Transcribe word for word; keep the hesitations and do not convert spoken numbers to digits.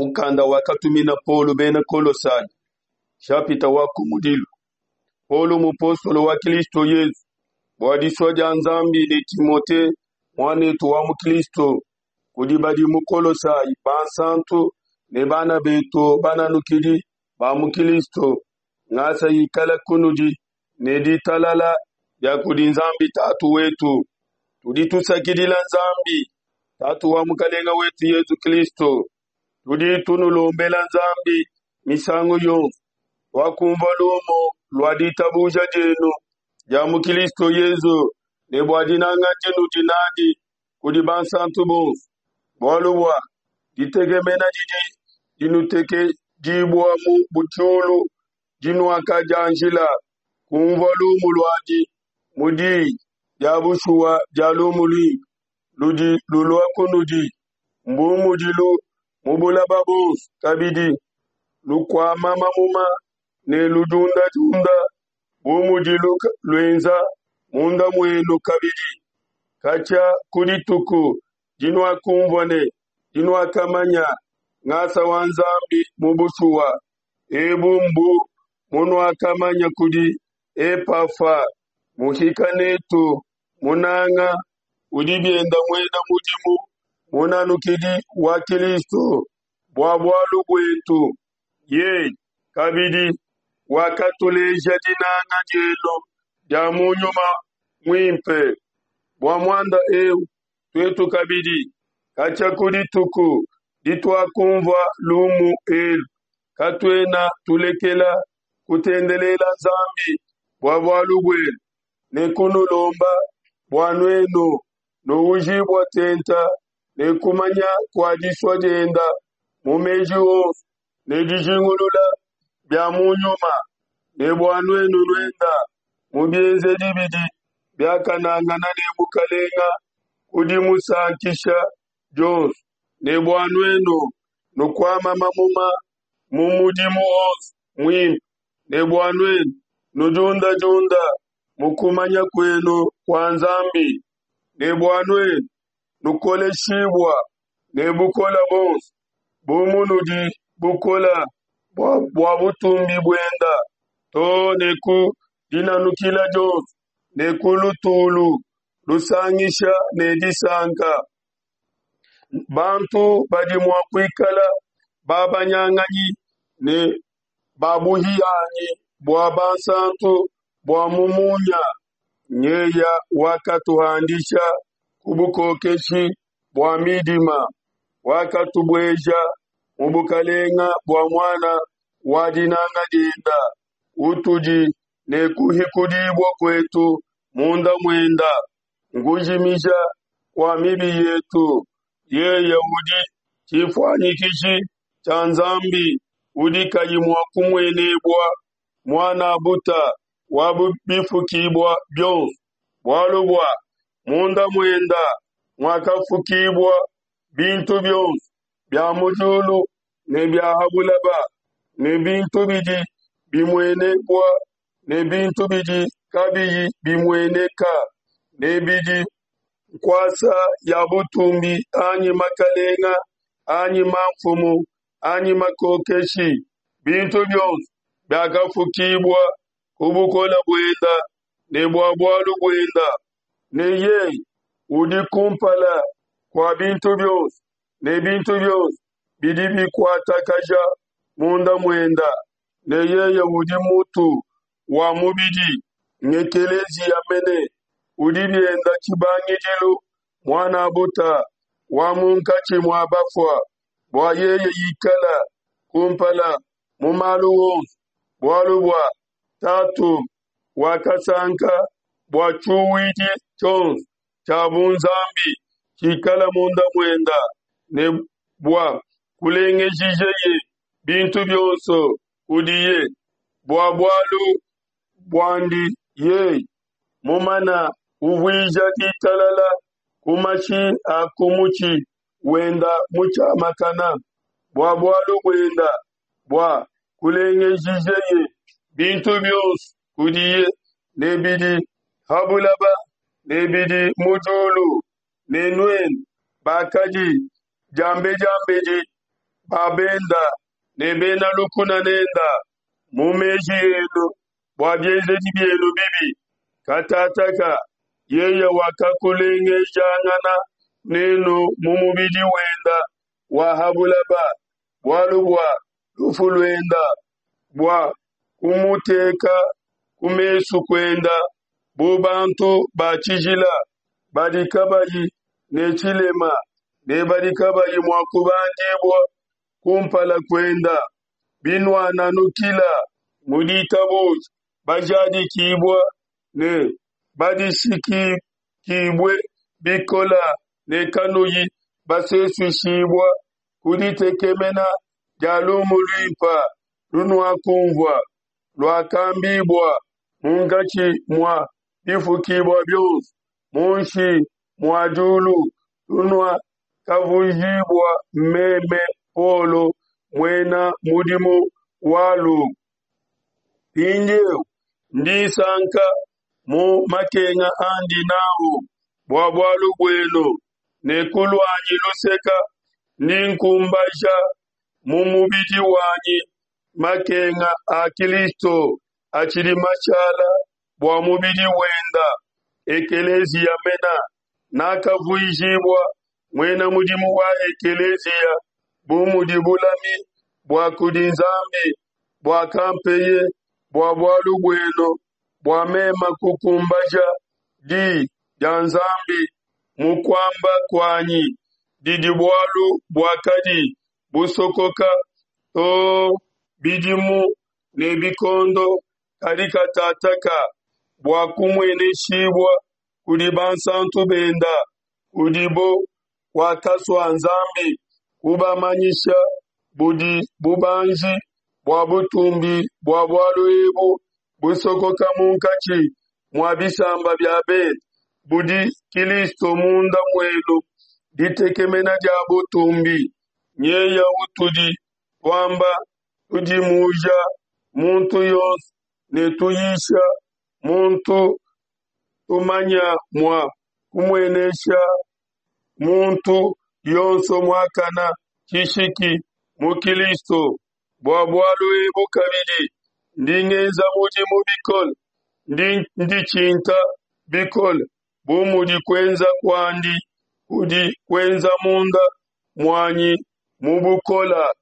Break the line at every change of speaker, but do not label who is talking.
Mukanda wakatumina Paulo bena Kolosai, nshapita wa kumudilu. Paulo mupostolo wa Kristo Yezu bua disua dia Nzambi ne Timote muanetu wa mu Kristo, kudi badi mu Kolosai bansantu ne bana betu bananukidi ba mu Kristo, ngasa ikala kunudi ne ditalala bia kudi Nzambi Tatu wetu. Tudi tusakidila Nzambi Tatu wa Mukalenge wetu Yezu Kristo. Tudi tunulombela Nzambi misangu yonso. Tuakumvua lumu lua ditabuja dienu dia mu Kristo Yezu ne bua dinanga dinudi nadi kudi bansantu bonso, bualu bua ditekemena didi dinutekedibua mu diulu dinuakadianjila kumvua lumu luadi mu diyi dia bushuwa dia lumu luimpe ludi lulua kunudi, mbu mudilu mu bulaba buonso kabidi lukuama mamuma ne ludiundadiunda bu mudilu luenza munda muenu kabidi katshia ku dituku dinuakumvua ne dinuakamanya ngasa wa Nzambi mu bushuwa. Ebu mbu munuakamanya kudi Epafa muhika netu munanga udi bienda muena mudimu munanukidi wa Kristo bua bualu buetu. Yeye kabidi wakatuleja dinanga dienu dia mu nyuma muimpe. Bua muanda eu tuetu kabidi katshia ku dituku dituakumvua lumu elu, katuena tulekela kutendelela Nzambi bua bualu buenu ne kunulomba bua nuenu nuujibua tente ne kumanya kua disua dienda mu meji onso ne dijingulula bia mu nyuma, ne bua nuenu nuenda mu bienzedi bidi biakanangana ne Mukalenga ku dimusankisha dionso, ne bua nuenu nukuama mamuma mu mudimu wonso muimpe, ne bua nuenu nudiundadiunda mu kumanya kuenu kua Nzambi, ne bua nuenu nukoleshibua ne bukole buonso bu munudi bukole bua, bua butumbi buenda too ne ku dinanukila dionso ne ku lutulu lusangisha ne disanka. Bantu badi mua kuikala babanyanganyi ne babuhianyi bua bansantu bua mu munya. Nyeya wakatuhandisha ku bukokeshi bua midima, wakatubueja mu bukalenga bua muana wa dinanga dienda, utudi ne kuhikudibua kuetu munda muenda, nkujimija kua mibi yetu. Yeye udi tshifuanyikishi tshia Nzambi udi kayi mua kumuenebua, muana buta wa bifukibua bionso, bualu bua munda muenda muakafukibua bintu bionso bia mu diulu ne bia ha bulaba, ne bintu bidi bimuenebua ne bintu bidi kabiyi bimueneka, ne bidi nkuasa ya butumbi anyi makalenga anyi mamfumu anyi makokeshi, bintu bionso biakafukibua ku bukole buenda ne bua bualu buenda, ne yeye udi kumpala kua bintu bionso, ne bintu bionso bidi bikuatakaja munda muenda, ne yeye udi mutu wa mubidi ngekeleziya mene, udi bienda tshibangidilu muana buta wa munkatshi mua bafua, bua yeye ikala kumpala mu malu wonso, bualu bua Tatu wakasanka bua tshiuwidi tshionso tshia bunzambi tshikala munda muenda, ne bua kulengejijeye bintu bionso kudiye, bua bualu buandi yeye mumana kuvuija ditalala ku mashi a ku mutshi wenda mutshiamakana, bua bualu buenda bua kulengejijeye bintu bionso kudiye, ne bidi ha bulaba ne bidi mu diulu, ne nuenu bakadi diambediambedi ba benda ne bena lukuna nenda mu meji enu bua bienzedi bienu bibi. Katataka yeye wakakulengejangana nenu mu mubidi wenda wa ha bulaba bualu bua lufu luenda, bua kumuteka ku mesu kuenda bu bantu ba tshijila badi kabayi ne tshilema ne badi kabayi mua kubandibua kumpala kuenda. Binuananukila mu ditabuja, bajadikibua ne badishikibue bikola ne kanuyi basesuishibua ku ditekemena dia lumu luimpa lunuakumvua, luakambibua munkatshi mua bifukibua bionso munshi mua diulu, lunuakavuijibua meme Paulo muena mudimu walu. Mpindieu ndi nsanka mu makenga andi nawu bua bualu buenu, ne ku luanyi luseke ndi nkumbaja mu mubidi wanyi makenga a Kristo atshidi mashala bua mubidi wenda, ekeleziya mena. Nakavuijibua muena mudimu wa ekeleziya bu mudi bulami bua kudi Nzambi buakampeye bua bualu buenu, bua meme kukumbaja di dia Nzambi mu kuamba kuanyi, didi bualu buakadi busokoka too bidimu ne bikondo, kadi katataka buakumueneshibua kudi bansanto benda, kudibo kuakasua Nzambi kubamanyisha budi bubanji bua butumbi bua bualu ebu busokoka munkatshi mua bisamba bia bende, budi Kristo munda muenu, ditekemena dia butumbi. Nyeya utudi tuamba, tudimuja muntu yonso ne tuyisha muntu, tumanya mua kumuenesha muntu yonso muakana tshishiki mu Kristo. Bua bualu ebu kabidi ndi ngenza mudimu bikole, ndi nditshinta bikole bu mudi kuenza kuandi kudi kuenza munda muanyi mu bukola.